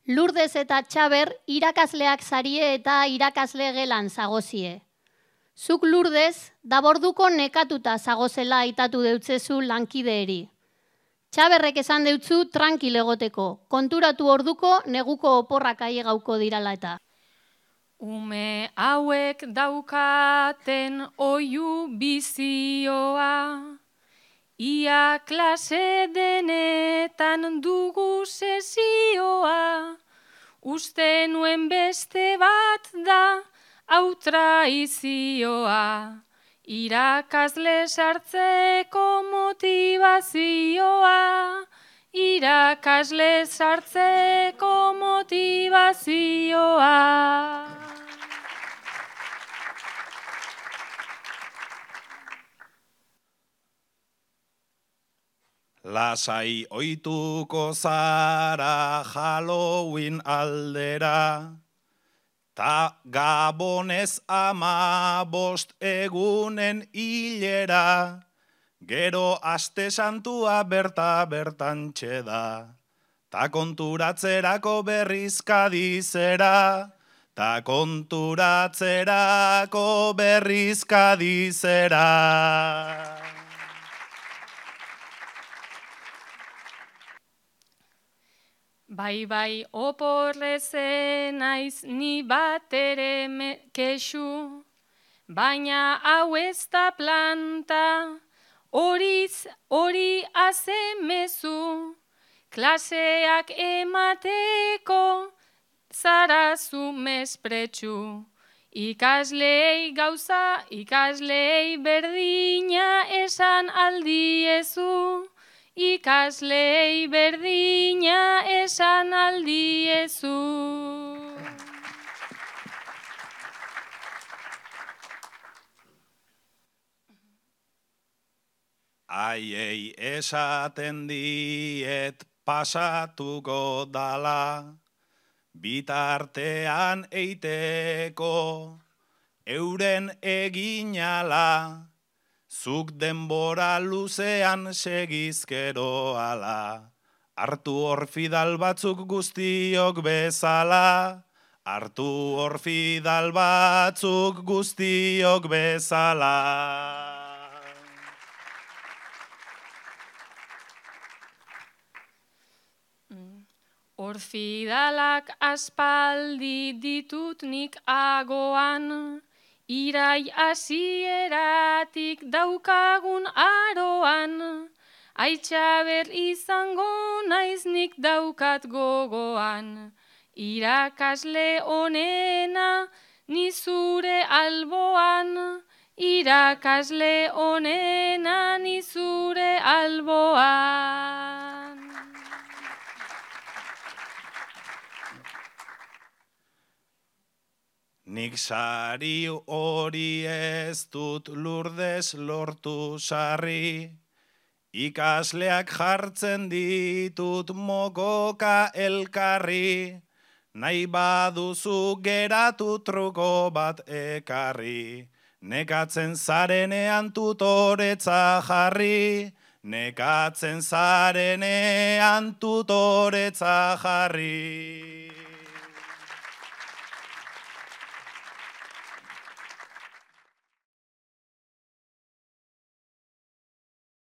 Lourdes eta Txaber irakasleak zarie eta irakasle gelan zagozie. Zuk Lourdes, daborduko nekatuta zagozela aitatu deutzezu lankideeri. Txaberrek esan deutzu tranquil egoteko, konturatu orduko neguko oporrak aiegauko dirala eta. Ume hauek daukaten oihu bizioa, ia klase denetan dugu sesioa, uste nuen beste bat da hau traizioa, irakasle sartzeko motivazioa, irakasle sartzeko motivazioa. Lasai ohituko zara Halloween aldera, ta Gabonez 15 egunen hilera, gero aste santua bertan txeda, ta konturatzerako berriz Kadizera, ta konturatzerako berriz Kadizera. Bai, oporrezen naiz ni batere kexu, baina hau ez da planta, hori azemezu, klaseak emateko zarazu mespretxu. Ikaslei gauza, ikaslei berdina esan aldiezu, ikaslei berdina esan aldiezu. Aiei esaten diet pasatuko dala, bitartean eiteko euren eginala, zuk denbora luzean segizkero ala, hartu orfidal batzuk guztiok bezala, hartu orfidal batzuk guztiok bezala. Orfidalak aspaldi ditut nik agoan, irai hasieratik daukagun aroan, Aitxaber izango naiz nik daukat gogoan, irakasle onena ni zure alboan, irakasle onena ni zure alboan. Nik sari hori ez dut Lourdes lortu sarri, ikasleak jartzen ditut mokoka elkarri, nahi baduzu geratu truko bat ekarri, nekatzen zarenean tutoretza jarri, nekatzen zarenean tutoretza jarri.